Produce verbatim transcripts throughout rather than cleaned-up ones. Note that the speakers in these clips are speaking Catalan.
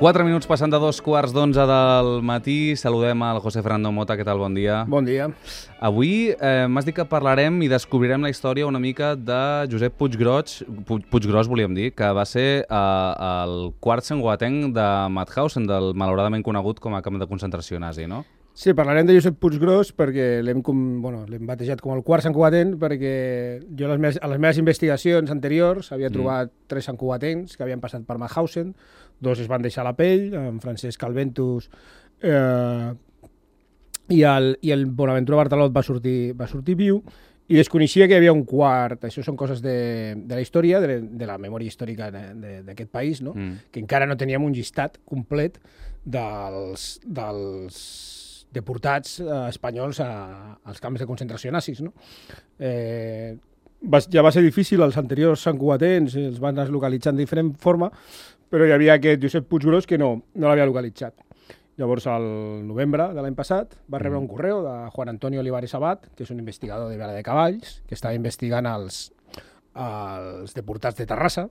Quatre minuts passant de dos quarts d'onze del matí. Saludem al José Fernando Mota. Què tal? Bon dia. Bon dia. Avui eh, m'has dit que parlarem i descobrirem la història una mica de Josep Puiggròs, Puiggròs volíem dir, que va ser eh, el quart santcugatenc de Mauthausen, del malauradament conegut com a camp de concentració nazi, no? Sí, parlarem de Josep Puiggròs perquè l'hem bueno, batejat com el quart santcugatenc perquè jo les meves, a les meves investigacions anteriors havia trobat mm. tres santcugatencs que havien passat per Mauthausen, dos es van deixar la pell, en Francesc Calventus eh, i, el, i el Bonaventura Bartalot va sortir, va sortir viu, i desconeixia que hi havia un quart. Això són coses de, de la història, de, de la memòria històrica d'aquest país, no? mm. que encara no teníem un llistat complet dels... dels deportats eh, espanyols a, als camps de concentració nazis. No? Eh, va, ja va ser difícil, els anteriors santcugatencs els van localitzar de diferent forma, però hi havia aquest Josep Puiggròs que no, no l'havia localitzat. Llavors, al novembre de l'any passat, va rebre un correu de Juan Antonio Olivares Abad, que és un investigador de Vela de Cavalls, que estava investigant els, els deportats de Terrassa,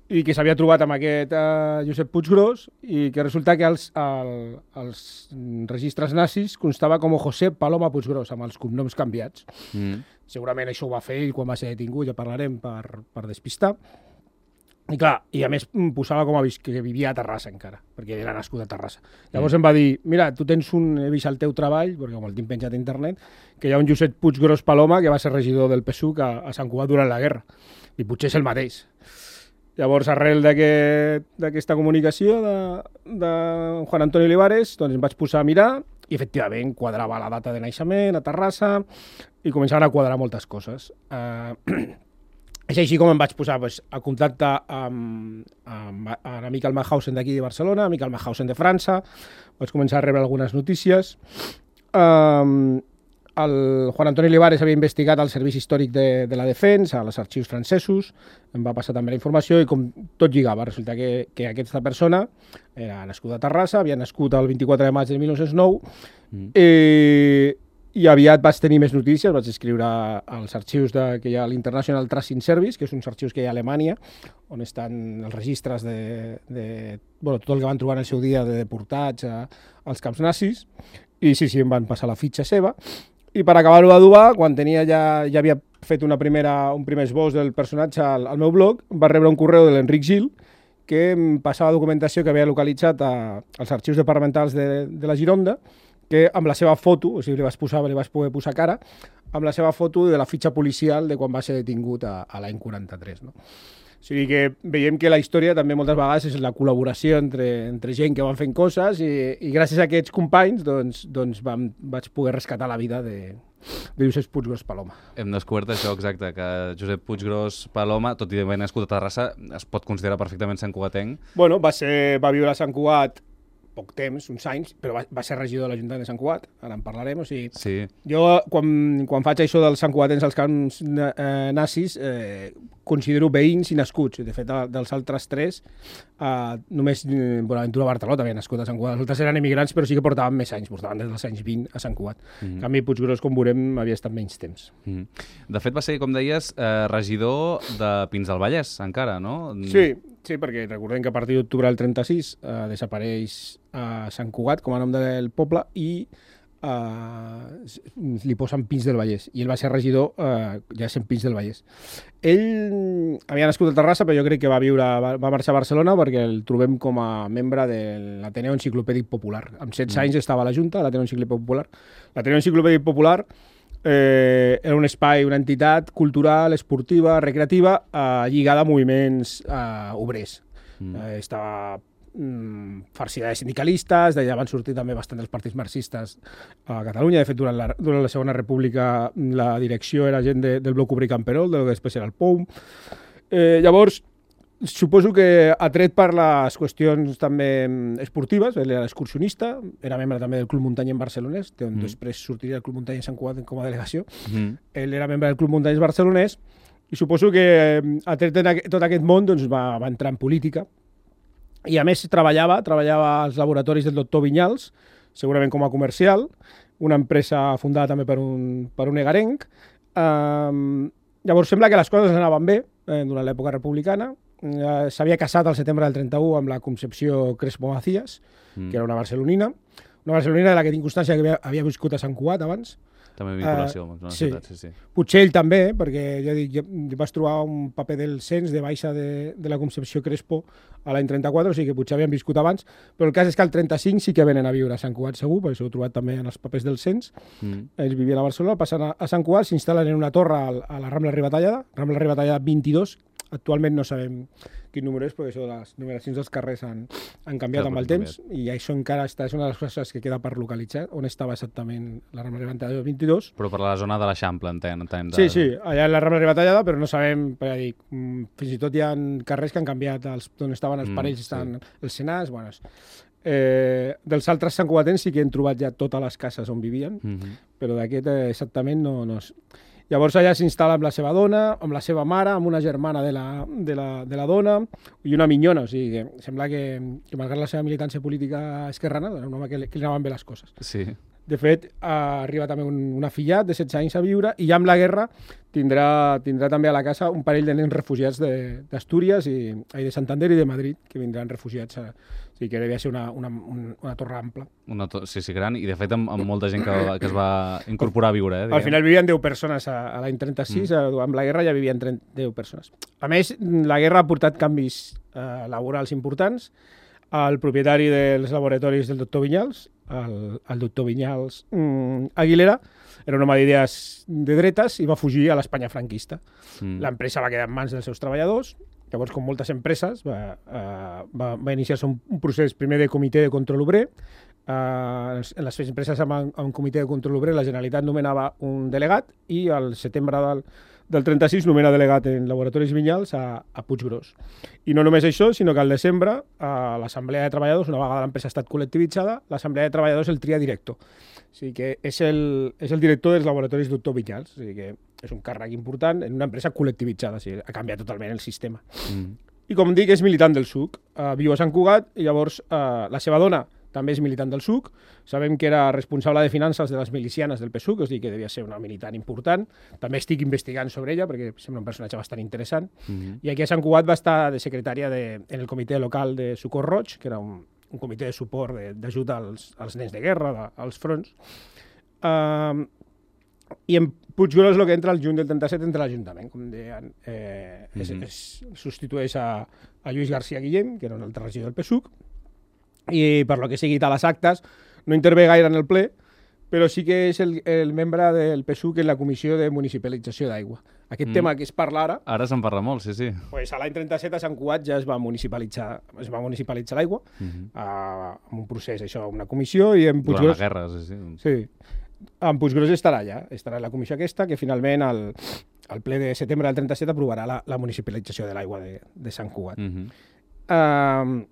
i que s'havia trobat amb aquest uh, Josep Puiggròs i que resulta que els, el, els registres nazis constava com José Paloma Puiggròs, amb els cognoms canviats. Mm. Segurament això ho va fer ell quan va ser detingut, ja parlarem, per, per despistar. I clar, i a més posava com a que vivia a Terrassa encara, perquè era nascut a Terrassa. Llavors mm. em va dir, mira, tu tens un, he vist el teu treball, perquè com el tinc penjat a internet, que hi ha un Josep Puiggròs Paloma que va ser regidor del P S U C a, a Sant Cugat durant la guerra. I potser és el mateix. Llavors, arrel d'aquesta aquest, comunicació de, de Juan Antonio Olivares, doncs em vaig posar a mirar i, efectivament, quadrava la data de naixement a Terrassa i començaven a quadrar moltes coses. Uh, és així com em vaig posar pues, a contacte amb, amb, amb amic al Mauthausen d'aquí de Barcelona, amic al Mauthausen de França, vaig començar a rebre algunes notícies. Um, El Juan Antonio Olivares havia investigat el Servici Històric de, de la Defensa, als arxius francesos, em va passar també la informació i com tot lligava, resulta que, que aquesta persona era nascuda a Terrassa, havia nascut el vint-i-quatre de maig de mil nou-cents nou, mm. eh, i aviat vaig tenir més notícies, vaig escriure als arxius de, que hi ha l'International Tracing Service, que és uns arxius que hi ha a Alemanya, on estan els registres de, de bueno, tot el que van trobar en el seu dia de deportats a, als camps nazis, i sí, sí, em van passar la fitxa seva. I per acabar-ho d'adobar, quan tenia ja, ja havia fet una primera, un primer esbós del personatge al, al meu blog, va rebre un correu de l'Enric Gil que em passava documentació que havia localitzat a, als arxius departamentals de, de la Gironda, que amb la seva foto, o sigui, li vaig, posar, li vaig poder posar cara, amb la seva foto de la fitxa policial de quan va ser detingut a, a l'any quaranta-tres. No? O sigui que veiem que la història també moltes vegades és la col·laboració entre, entre gent que van fent coses i, i gràcies a aquests companys doncs, doncs vam, vaig poder rescatar la vida de, de Josep Puiggròs Paloma. Hem descobert això exacte, que Josep Puiggròs Paloma, tot i haver nascut a Terrassa, es pot considerar perfectament santcugatenc. Bueno, va, ser, va viure a Sant Cugat poc temps, uns anys, però va, va ser regidor de l'Ajuntament de Sant Cugat, ara en parlarem, o sigui... Sí. Jo, quan, quan faig això dels santcugatencs als camps eh, nazis, eh, considero veïns i nascuts. De fet, dels altres tres, eh, només eh, Bonaventura Bartalot havia nascut a Sant Cugat. Els altres eren emigrants, però sí que portaven més anys, portaven des dels anys vint a Sant Cugat. Mm -hmm. En canvi, Puiggròs, com veurem, havia estat menys temps. Mm -hmm. De fet, va ser, com deies, eh, regidor de Pins del Vallès, encara, no? Sí, sí, perquè recordem que a partir d'octubre del trenta-sis eh, desapareix a Sant Cugat com a nom del poble i eh, li posen Pins del Vallès. I ell va ser regidor eh, ja sent Pins del Vallès. Ell havia nascut a Terrassa, però jo crec que va viure, va, va marxar a Barcelona perquè el trobem com a membre de l'Ateneu Enciclopèdic Popular. Amb setze anys estava a la Junta, l'Ateneu Enciclopèdic Popular. L'Ateneu Enciclopèdic Popular eh, era un espai, una entitat cultural, esportiva, recreativa, eh, lligada a moviments eh, obrers. Mm. Eh, estava farcida de sindicalistes, d'allà van sortir també bastant els partits marxistes a Catalunya. De fet, durant la, durant la Segona República la direcció era gent de, del bloc obrer camperol, del que després era el P O U. Eh, llavors, suposo que atret per les qüestions també esportives, ell era excursionista, era membre també del Club Muntanyès Barcelonès, on mm. després sortiria el Club Muntanyès Sant Cugat com a delegació. Mm. Ell era membre del Club Muntanyès Barcelonès i suposo que atret en aquest, tot aquest món doncs, va, va entrar en política. I a més treballava, treballava als laboratoris del doctor Vinyals, segurament com a comercial, una empresa fundada també per un, per un egarenc. Um, llavors sembla que les coses anaven bé eh, durant l'època republicana, eh, s'havia casat al setembre del trenta-u amb la Concepció Crespo Macías, mm. que era una barcelonina, una barcelonina de la que tinc constància que havia, havia viscut a Sant Cugat abans. També vinculació uh, amb la sí. ciutat, sí, sí. Potser ell també, perquè ja dic, jo vaig trobar un paper del cens de baixa de, de la Concepció Crespo a l'any trenta-quatre, o sigui que potser havien viscut abans, però el cas és que al trenta-cinc sí que venen a viure a Sant Cugat segur, perquè s'ho he trobat també en els papers del cens. Mm. Ells vivien a Barcelona, passen a, a Sant Cugat, s'instal·len en una torre a, a la Rambla Ribatallada, Rambla Ribatallada vint-i-dos, actualment no sabem quin número és, perquè això de les numeracions dels carrers han, han canviat Clar, amb el temps, canviat. I això encara està, és una de les coses que queda per localitzar, on estava exactament la Rambla Ribatallada vint-i-dos. Però per la zona de l'Eixample, entenc. entenc de... Sí, sí, allà en la Rambla Ribatallada, però no sabem, per dir, fins i tot hi ha carrers que han canviat, els, on estaven els parells, mm, estan sí. els senars, bueno, eh, dels altres santcugatens sí que hem trobat ja totes les cases on vivien, mm -hmm. però d'aquest eh, exactament no... no és... Llavors allà s'instal·la amb la seva dona, amb la seva mare, amb una germana de la, de la, de la dona i una minyona, o sigui que sembla que, que malgrat la seva militància política esquerrana, era un home que, que li anaven bé les coses. Sí. De fet, arriba també un, un afillat de setze anys a viure i ja amb la guerra tindrà, tindrà també a la casa un parell de nens refugiats d'Astúries i, i de Santander i de Madrid, que vindran refugiats a, o sigui que devia ser una, una, una torre ampla. Una to sí, sí, gran, i de fet amb, amb molta gent que, que es va incorporar a viure. Eh, Al final vivien deu persones a, a l'any trenta-sis, mm. amb la guerra ja vivien deu persones. A més, la guerra ha portat canvis eh, laborals importants. El propietari dels laboratoris del doctor Vinyals, el, el doctor Vinyals mm, Aguilera, era un home d'idees de dretes i va fugir a l'Espanya franquista. Mm. L'empresa va quedar en mans dels seus treballadors. Llavors, com moltes empreses, va, uh, va, va iniciar-se un, un procés primer de comitè de control obrer. Uh, en les empreses amb, amb comitè de control obrer, la Generalitat nomenava un delegat i al setembre del, del trenta-sis nomena delegat en Laboratoris Vinyals a, a Puiggròs. I no només això, sinó que al desembre a l'Assemblea de Treballadors, una vegada l'empresa ha estat col·lectivitzada, l'Assemblea de Treballadors el tria director. O sigui que és el, és el director dels Laboratoris doctor Vinyals. O sigui que és un càrrec important en una empresa col·lectivitzada. O sigui, ha canviat totalment el sistema. Mm. I com dic, és militant del S U C. Uh, viu a Sant Cugat i llavors uh, la seva dona també és militant del S U C. Sabem que era responsable de finances de les milicianes del P S U C, és a dir, que devia ser una militant important. També estic investigant sobre ella, perquè sembla un personatge bastant interessant. Mm-hmm. I aquí a Sant Cugat va estar de secretària de, en el comitè local de Socors Roig, que era un, un comitè de suport d'ajut als, als nens de guerra, de, als fronts. Uh, I en Puiggròs el que entra el juny del trenta-set entra l'Ajuntament, com deien, eh, mm-hmm. es, es substitueix a, a Lluís García Guillem, que era un altre regidor del P S U C, i per lo que sigui a les actes no intervé gaire en el ple, però sí que és el, el membre del P S U C en la Comissió de Municipalització d'Aigua. Aquest mm. tema que es parla ara... Ara se'n parla molt, sí, sí. Pues a l'any trenta-set a Sant Cugat ja es va municipalitzar, es va municipalitzar l'aigua, mm-hmm. uh, amb un procés, això, una comissió, i en Puiggròs... Durant la guerra, sí, sí. Sí. En Puiggròs estarà allà, estarà en la comissió aquesta, que finalment el, el ple de setembre del trenta-set aprovarà la, la municipalització de l'aigua de, de Sant Cugat. Mm-hmm. Uh,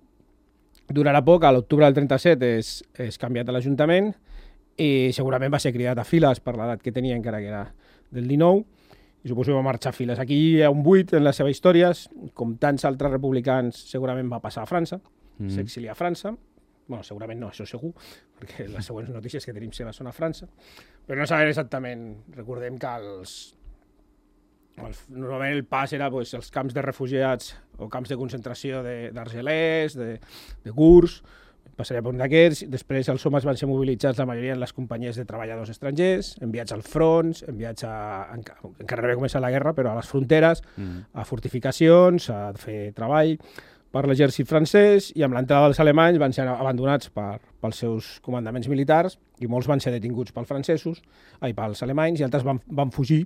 Durarà poc, a l'octubre del trenta-set és, és canviat a l'Ajuntament i segurament va ser cridat a files per l'edat que tenia, encara que era del dinou, i suposo que va marxar a files. Aquí hi ha un buit en les seves històries, com tants altres republicans segurament va passar a França, mm. s'exilia a França, bueno, segurament no, això segur, perquè les següents notícies que tenim seves són a França, però no sabem exactament, recordem que els... El, normalment el pas era pues, els camps de refugiats o camps de concentració d'Argelès, de, de, de Gurs, passaria per un d'aquests. Després els homes van ser mobilitzats, la majoria en les companyies de treballadors estrangers, enviats als fronts, enviats a... encara no havia començat la guerra, però a les fronteres, mm. a fortificacions, a fer treball per l'exèrcit francès, i amb l'entrada dels alemanys van ser abandonats per, pels seus comandaments militars i molts van ser detinguts pels francesos, ai, pels alemanys, i altres van, van fugir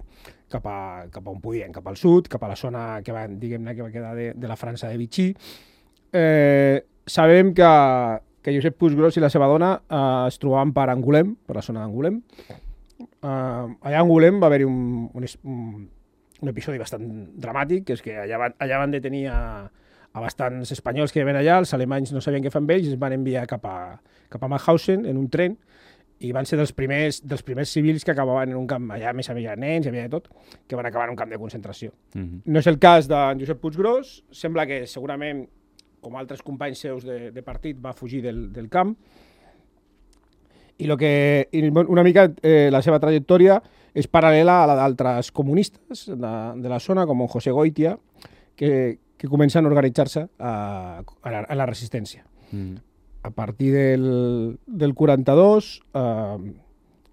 cap a, cap a on podien, cap al sud, cap a la zona que va, diguem-ne, que va quedar de, de la França de Vichy. Eh, sabem que, que Josep Puiggròs i la seva dona eh, es trobaven per Angoulême, per la zona d'Angoulême. Eh, allà a Angoulême va haver-hi un, un, un, un episodi bastant dramàtic, que és que allà van, allà van detenir a a bastants espanyols que ven allà, els alemanys no sabien què fer amb ells, es van enviar cap a, cap a Mauthausen en un tren, i van ser dels primers, dels primers civils que acabaven en un camp, allà més havia nens, hi havia de tot, que van acabar en un camp de concentració. Mm-hmm. No és el cas de Josep Puiggròs, sembla que segurament, com altres companys seus de, de partit, va fugir del, del camp, i, lo que, i una mica eh, la seva trajectòria és paral·lela a la d'altres comunistes de, de la zona, com José Goitia, que que comencen a organitzar-se a, a, la, a la resistència. Mm. A partir del, del quaranta-dos, eh,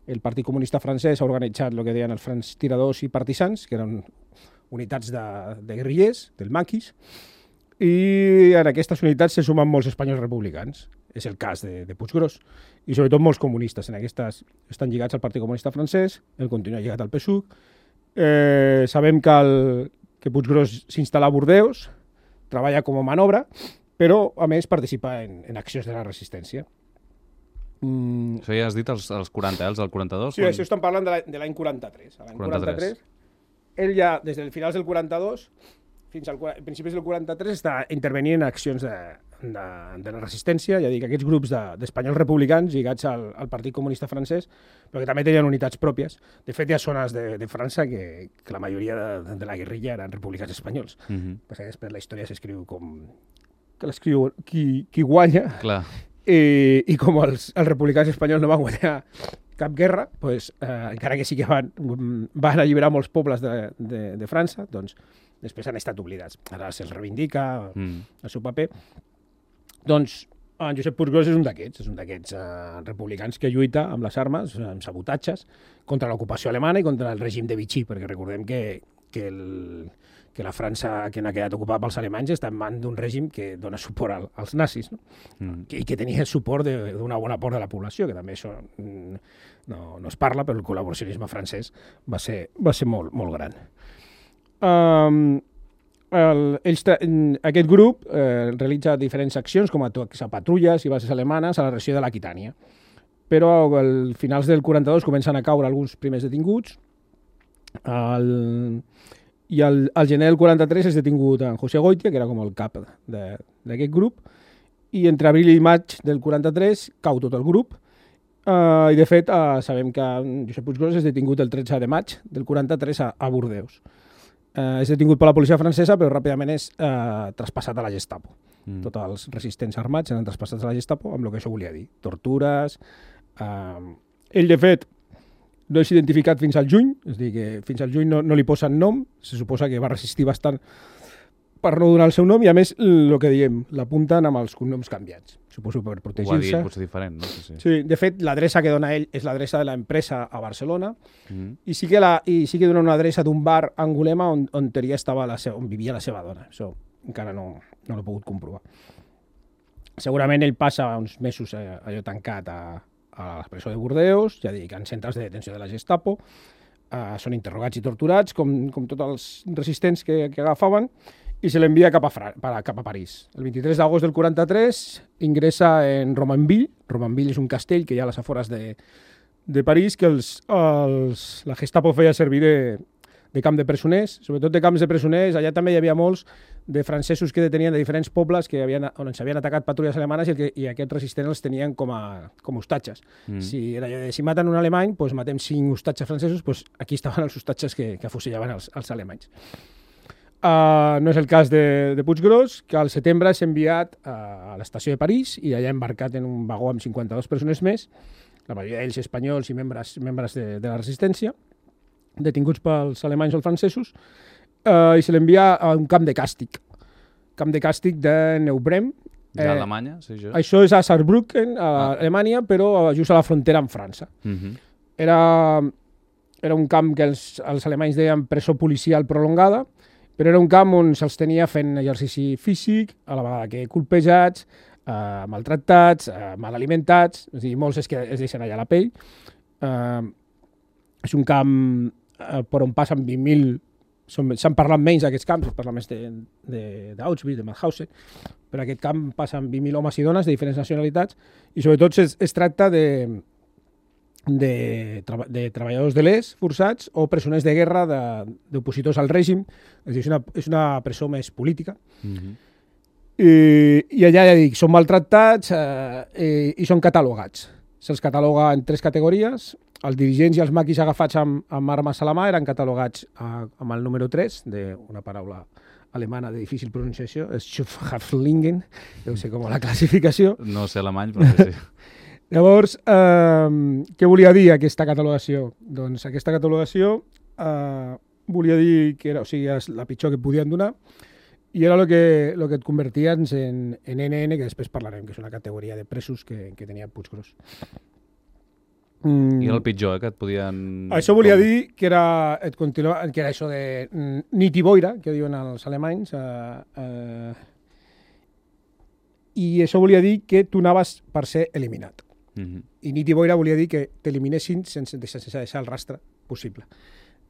el Partit Comunista Francès ha organitzat el que deien els francs tiradors i partisans, que eren unitats de, de guerrillers, del maquis, i en aquestes unitats se sumen molts espanyols republicans. És el cas de, de Puiggròs. I sobretot molts comunistes. En aquestes estan lligats al Partit Comunista Francès, el continua lligat al P S U C. Eh, sabem que, el, que Puiggròs s'instal·la a Bordeus, treballa com a manobra, però a més participa en, en accions de la resistència. Mm. Això ja has dit els, els quaranta, eh? Els del quaranta-dos? Sí, quan... això estan parlant de l'any quaranta-tres. L'any quaranta-tres. Ell ja, des del finals del quaranta-dos fins al principis del quaranta-tres, està intervenint en accions de, de, de la resistència, ja dic, aquests grups d'espanyols de, republicans lligats al, al Partit Comunista Francès, però que també tenien unitats pròpies. De fet, hi ha zones de, de França que, que la majoria de, de la guerrilla eren republicans espanyols. Uh -huh. Perquè després la història s'escriu com... que l'escriu qui, qui guanya. Clar. I, i com els, els republicans espanyols no van guanyar cap guerra, pues, eh, encara que sí que van, van alliberar molts pobles de, de, de França, doncs després han estat oblidats. Ara se'ls reivindica mm. el seu paper. Doncs en Josep Puiggròs és un d'aquests, és un d'aquests eh, republicans que lluita amb les armes, amb sabotatges, contra l'ocupació alemana i contra el règim de Vichy, perquè recordem que, que, el, que la França que n'ha quedat ocupada pels alemanys està en mans d'un règim que dona suport al, als nazis, no? Mm. I que tenia el suport d'una bona part de la població, que també això no, no es parla, però el col·laboracionisme francès va ser, va ser molt, molt gran. Um, el, ells, aquest grup eh, realitza diferents accions com a, a patrulles i bases alemanes a la regió de l'Aquitània, però al finals del quaranta-dos comencen a caure alguns primers detinguts el, i al, al gener del quaranta-tres és detingut en José Goitia, que era com el cap d'aquest grup, i entre abril i maig del quaranta-tres cau tot el grup. Uh, I de fet uh, sabem que Josep Puiggròs és detingut el tretze de maig del quaranta-tres a, a Bordeus. Uh, és detingut per la policia francesa, però ràpidament és uh, traspassat a la Gestapo. Mm. Tots els resistents armats eren traspassats a la Gestapo amb el que això volia dir. Tortures... Uh, ell, de fet, no és identificat fins al juny, és a dir, que fins al juny no, no li posen nom, se suposa que va resistir bastant per no donar el seu nom, i a més, el que diem, l'apunten amb els cognoms canviats. Suposo per protegir-se. Ho ha dit, potser diferent, no? Sí, sí. Sí, de fet, l'adreça que dona ell és l'adreça de l'empresa a Barcelona, mm. i, sí que la, i sí que dona una adreça d'un bar a Angulema on, on, teoria estava la seva, on vivia la seva dona. Això encara no, no l'he pogut comprovar. Segurament ell passa uns mesos eh, allò tancat a, a la presó de Bordeus, ja dic, en centres de detenció de la Gestapo, eh, són interrogats i torturats, com, com tots els resistents que, que agafaven, i se l'envia cap, cap a París. El vint-i-tres d'agost del quaranta-tres ingressa en Romainville. Romainville és un castell que hi ha a les afores de, de París, que els, els, la Gestapo feia servir de, de camp de presoners, sobretot de camps de presoners. Allà també hi havia molts de francesos que detenien de diferents pobles que havien, on s'havien atacat patrulles alemanes i, el que, i aquests resistents els tenien com a com hostatges. Mm. Si, era allò de, si maten un alemany, doncs matem cinc hostatges francesos, doncs aquí estaven els hostatges que, que afusellaven els, els alemanys. Uh, no és el cas de, de Puiggròs, que al setembre s'ha enviat uh, a l'estació de París i allà embarcat en un vagó amb cinquanta-dos persones més, la majoria d'ells espanyols i membres, membres de, de la resistència, detinguts pels alemanys o els francesos, uh, i se l'envia a un camp de càstig, camp de càstig de Neubrem. Ja a Alemanya, sí, jo. Això és a Saarbrücken, a ah. Alemanya, però just a la frontera amb França. Uh -huh. Era, era un camp que els, els alemanys deien presó policial prolongada, però era un camp on se'ls tenia fent exercici físic, a la vegada que colpejats, eh, maltractats, eh, mal alimentats, és a dir, molts es, que es deixen allà la pell. Eh, és un camp eh, per on passen vint mil, s'han parlat menys d'aquests camps, es parla més d'Auschwitz, de, de, de Mauthausen, però aquest camp passen vint mil homes i dones de diferents nacionalitats, i sobretot es, es tracta de... De, tra de treballadors de l'E S forçats o presoners de guerra d'opositors al règim. És dir, és una, és una presó més política. Mm-hmm. I, I allà, ja dic, són maltractats eh, i, i són catalogats. Se'ls cataloga en tres categories. Els dirigents i els maquis agafats amb, amb armes a la mà eren catalogats a, amb el número tres, d'una paraula alemana de difícil pronunciació, és Schutzhaftlingen, deu ser com la classificació. No sé alemany, però sí. Llavors, eh, què volia dir aquesta catalogació? Doncs aquesta catalogació eh, volia dir que era, o sigui, és la pitjor que podien donar i era el que, lo que et converties en, en N N, que després parlarem, que és una categoria de presos que, que tenia Puiggròs. Mm. I era el pitjor, eh, que et podien... Això volia com... dir que era, et continua, que era això de mm, nit i boira, que diuen els alemanys, eh, eh, i això volia dir que tu anaves per ser eliminat. Mm-hmm. I nit i boira volia dir que t'eliminessin sense, sense deixar el rastre possible.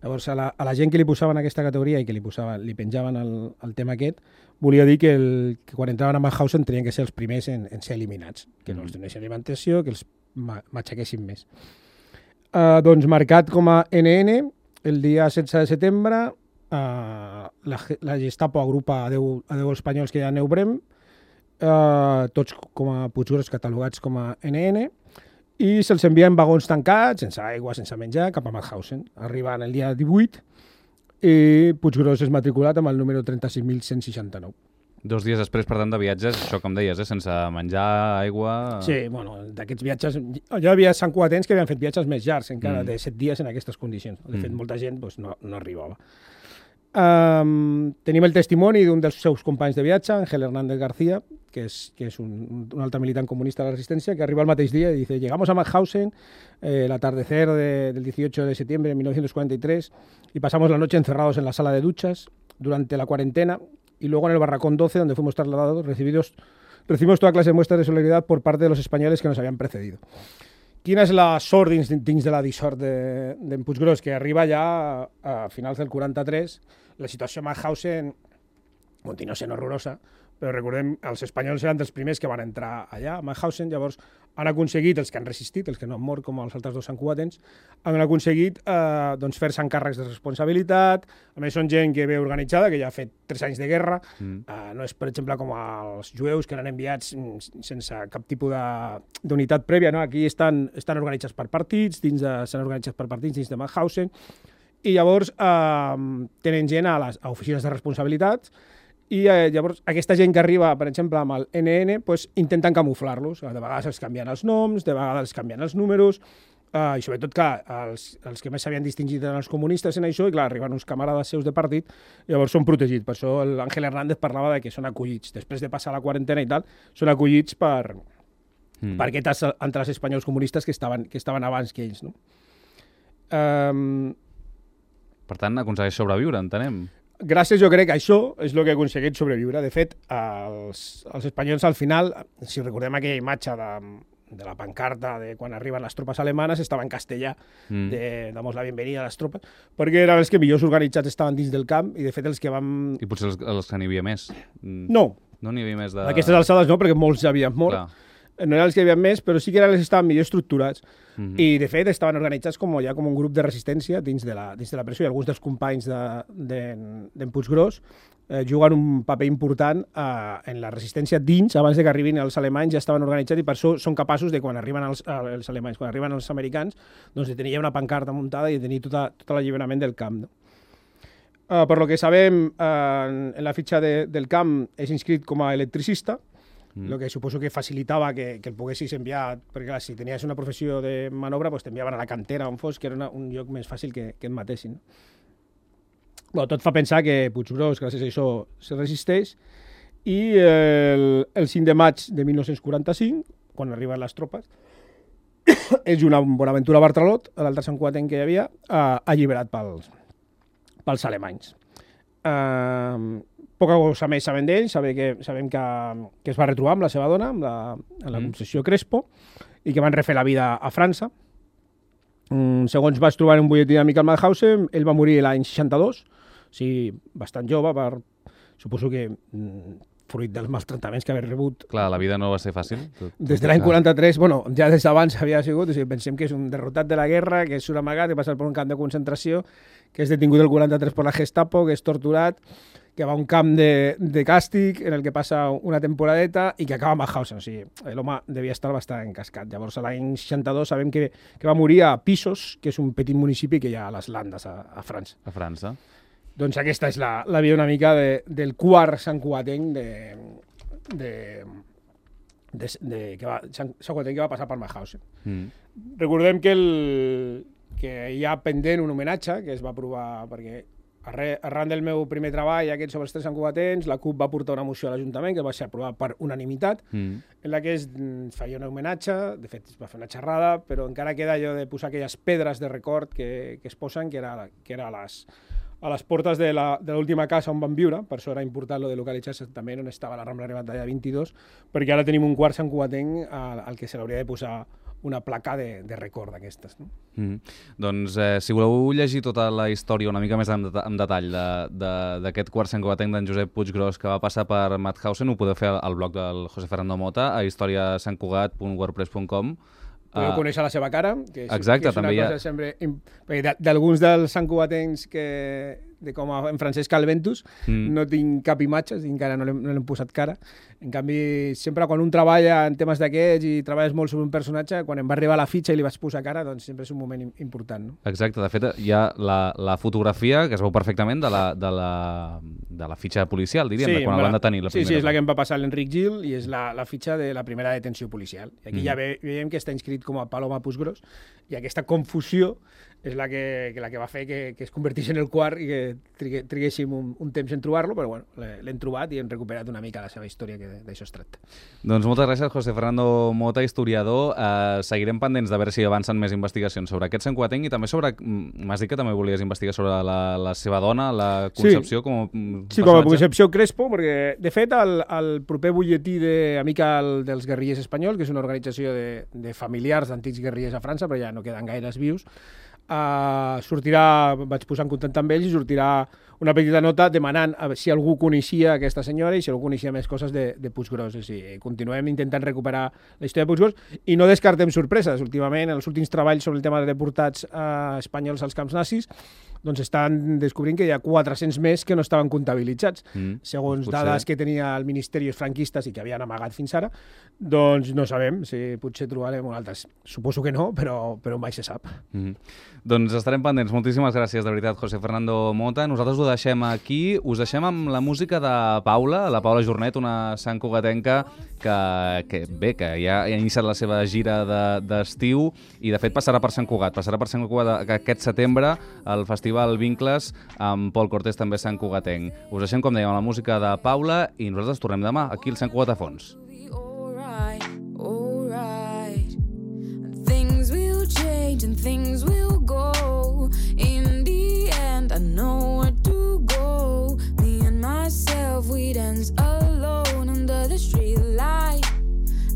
Llavors, a la, a la gent que li posaven aquesta categoria i que li, posaven, li penjaven el, el tema aquest, volia dir que, el, que quan entraven a Mauthausen tenien que ser els primers en, en ser eliminats, que mm. no els donessin alimentació, que els matxaquessin més. Uh, doncs, marcat com a N N, el dia setze de setembre, uh, la, la Gestapo agrupa a deu, a deu espanyols que hi ha a Neubrem, uh, tots com a Puiggròs catalogats com a N N, i se'ls envia en vagons tancats, sense aigua, sense menjar, cap a Mauthausen. Arriben el dia divuit i Puiggròs és matriculat amb el número trenta-sis mil cent seixanta-nou. Dos dies després, per tant, de viatges, això com deies, eh? Sense menjar, aigua... Sí, bueno, d'aquests viatges... Hi havia santcugatens que havien fet viatges més llargs, encara, mm. de set dies en aquestes condicions. De fet, mm. molta gent doncs, no, no arribava. Um, tenim el testimoni d'un dels seus companys de viatge, Ángel Hernández García, que és, que és un, un altre militant comunista de la resistència, que arriba el mateix dia i dice: llegamos a Mauthausen eh, el atardecer de, del dieciocho de septiembre de mil novecientos cuarenta y tres y pasamos la noche encerrados en la sala de duchas durante la cuarentena y luego en el barracón doce, donde fuimos trasladados, recibidos, recibimos toda clase de muestras de solidaridad por parte de los españoles que nos habían precedido. Quina és la sort dins, dins de la dissort d'en de, de Puiggròs, que arriba ja a, a finals del quaranta-tres. La situació a Mauthausen continua sent horrorosa, però recordem, els espanyols eren dels primers que van entrar allà a Mauthausen, llavors han aconseguit, els que han resistit, els que no han mort com els altres dos santcugatens, han aconseguit eh, doncs fer-se encàrrecs de responsabilitat. A més, són gent que ve organitzada, que ja ha fet tres anys de guerra. Mm. Eh, no és, per exemple, com els jueus, que eren enviats sense cap tipus d'unitat prèvia. No? Aquí estan, estan organitzats per partits, dins de, estan organitzats per partits dins de Mauthausen, i llavors eh, tenen gent a les a oficines de responsabilitats. I eh, llavors aquesta gent que arriba, per exemple, amb el N N, pues, intenten camuflar-los. De vegades els canvien els noms, de vegades els canvien els números, eh, i sobretot, clar, els, els que més s'havien distingit eren els comunistes en això, i clar, arriben uns camarades seus de partit, i llavors són protegits. Per això l'Àngel Hernández parlava de que són acollits. Després de passar la quarantena i tal, són acollits per, mm. per aquests entre els espanyols comunistes que estaven, que estaven abans que ells. No? Um... Per tant, aconsegueix sobreviure, entenem. Gràcies, jo crec que això és el que ha aconseguit sobreviure. De fet, els, els espanyols al final, si recordem aquella imatge de, de la pancarta de quan arriben les tropes alemanes, estava en castellà, mm. de damos la bienvenida a les tropes, perquè eren els que millors organitzats estaven dins del camp i, de fet, els que vam... I potser els, els que n'hi havia més. No. No n'hi havia més de... A aquestes alçades no, perquè molts havien mort. Clar. No eren els que hi havia més, però sí que eren els que estaven millor estructurats. Mm-hmm. I, de fet, estaven organitzats com, ja com un grup de resistència dins de la, dins de la presó, i alguns dels companys d'en de, de, Puiggròs eh, juguen un paper important eh, en la resistència dins. Abans de que arribin els alemanys ja estaven organitzats, i per això són capaços de, quan arriben els, els alemanys, quan arriben els americans, doncs de tenir una pancarta muntada i de tenir tota, tot l'alliberament del camp. No? Uh, per lo que sabem, uh, en, en la fitxa de, del camp és inscrit com a electricista, Mm. Lo que suposo que facilitava que, que el poguessis enviar, perquè clar, si tenies una professió de manobra, pues t'enviaven a la cantera on fos, que era una, un lloc més fàcil que, que et matessin. Bueno, tot fa pensar que Puiggròs, gràcies a això, se resisteix, i el, el cinc de maig de mil nou-cents quaranta-cinc, quan arriben les tropes, és una Bonaventura Bartralot, l'altre santcugatenc que hi havia, uh, alliberat pels, pels alemanys. Uh, Poca cosa més sabem d'ell, sabem, que, sabem que, que es va retrobar amb la seva dona, amb la, amb la concessió Crespo, i que van refer la vida a França. Mm, segons vaig trobar en un butlletí de Michael Mauthausen, ell va morir l'any seixanta-dos, o sigui, bastant jove, per, suposo que mm, fruit dels maltractaments que havia rebut. Clar, la vida no va ser fàcil. Tot, des de l'any quaranta-tres, bueno, ja des d'abans havia sigut, o sigui, pensem que és un derrotat de la guerra, que és un amagat, que passa per un camp de concentració, que és detingut el quaranta-tres per la Gestapo, que és torturat, que va a un camp de, de càstig en el que passa una temporadeta i que acaba a Mauthausen. O sigui, l'home devia estar bastant encascat. Llavors, a l'any seixanta-dos sabem que, que va morir a Pissos, que és un petit municipi que hi ha a les Landes, a, a França. A França. Doncs aquesta és la, la vida una mica de, del quart santcugatenc de, de, de, de, que va, santcugatenc que va passar per Mauthausen. Mm. Recordem que, el, que hi ha pendent un homenatge que es va aprovar perquè arran del meu primer treball, aquest sobre els tres santcugatencs, la CUP va portar una moció a l'Ajuntament que va ser aprovada per unanimitat, mm. en la que es feia un homenatge, de fet es va fer una xerrada, però encara queda allò de posar aquelles pedres de record que, que es posen, que era, que era a, les, a les portes de l'última casa on van viure, per això era important lo de localitzar-se també on estava la Rambla Rebatalla vint-i-dos, perquè ara tenim un quart santcugatenc al, al que se l'hauria de posar una placa de, de record d'aquestes. No? Mm. Doncs eh, si voleu llegir tota la història una mica més en, det en detall d'aquest quart santcugatenc d'en Josep Puiggròs que va passar per Mauthausen, ho podeu fer al blog del José Fernando Mota a historia sant cugat punt wordpress punt com. Podeu uh, conèixer la seva cara, que és, exacte, que és una també cosa ha... sempre... D'alguns dels santcugatencs que de com a, en Francesc Calventus, mm. no tinc cap imatge, encara no l'hem no posat cara. En canvi, sempre quan un treballa en temes d'aquests i treballes molt sobre un personatge, quan em va arribar la fitxa i li vaig posar cara, doncs sempre és un moment important. No? Exacte, de fet hi ha la, la fotografia que es veu perfectament de la, de la, de la fitxa policial, diríem, sí, de quan el van detenir. La sí, sí, és la que em va passar l'Enric Gil i és la, la fitxa de la primera detenció policial. I aquí mm. ja ve, veiem que està inscrit com a Paloma Puiggròs i aquesta confusió és la que, que, la que va fer que, que es convertís en el quart i que trigue, triguéssim un, un temps en trobar-lo, però bueno, l'hem trobat i hem recuperat una mica la seva història, que d'això es tracta. Doncs moltes gràcies, José Fernando Mota, historiador. Uh, seguirem pendents de veure si avancen més investigacions sobre aquest santcugatenc i també sobre... M'has dit que també volies investigar sobre la, la seva dona, la Concepció, sí. com a personatge? Sí, com a Concepció Crespo, perquè de fet el, el proper butlletí d'Amica dels Guerrillers Espanyols, que és una organització de, de familiars d'antics guerrillers a França, però ja no queden gaires vius, Uh, sortirà, vaig posar en contacte amb ells i sortirà una petita nota demanant si algú coneixia aquesta senyora i si algú coneixia més coses de, de Puiggròs. O sigui, continuem intentant recuperar la història de Puiggròs i no descartem sorpreses. Últimament, en els últims treballs sobre el tema de deportats uh, espanyols als camps nazis, doncs estan descobrint que hi ha quatre-cents més que no estaven comptabilitzats. Mm, segons potser... dades que tenia el Ministeri franquistes i que havien amagat fins ara, doncs no sabem si potser trobarem un altres. Suposo que no, però, però mai se sap. Mm. Doncs estarem pendents. Moltíssimes gràcies, de veritat, José Fernando Mota. Nosaltres ho deixem aquí. Us deixem amb la música de Paula, la Paula Jornet, una santcugatenca que, que bé, que ja ha iniciat la seva gira d'estiu de, i de fet passarà per Sant Cugat. Passarà per Sant Cugat aquest setembre al Festival Vincles amb Pol Cortés, també santcugatenc. Us deixem, com dèiem, la música de Paula i nosaltres tornem demà aquí al Sant Cugat a fons. And things will go. In the end, I know where to go. Me and myself, we dance alone under the street light.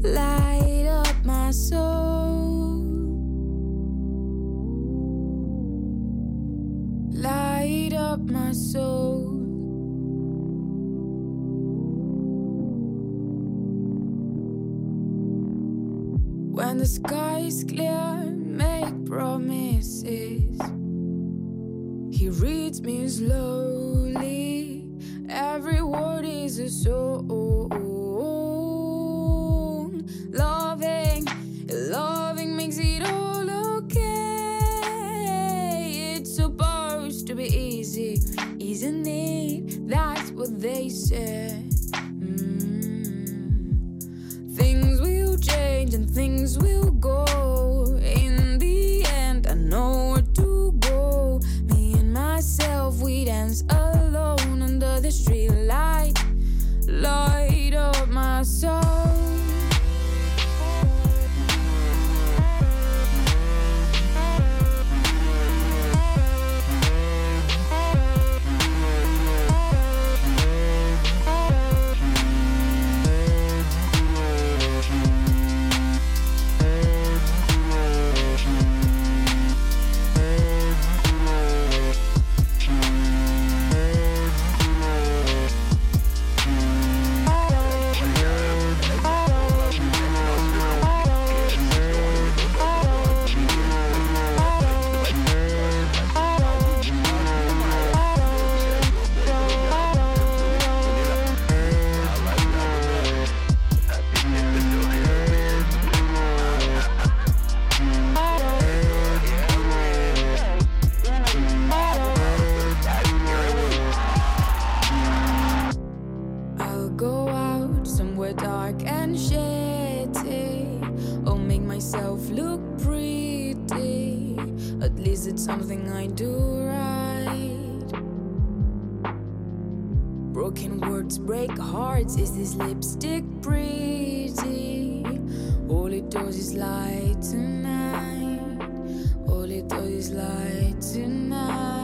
Light up my soul. Light up my soul. When the sky is clear, make promises. He reads me slowly. Every word is a song. Loving, loving makes it all okay. It's supposed to be easy, isn't it? That's what they said. Mm. Things will change and things will go. In the end, I know where to go. Me and myself, we dance alone under the street light. Light up my soul. Something I do right. Or can words break hearts? Is this lipstick pretty? All it does is lie tonight. All it does is lie tonight.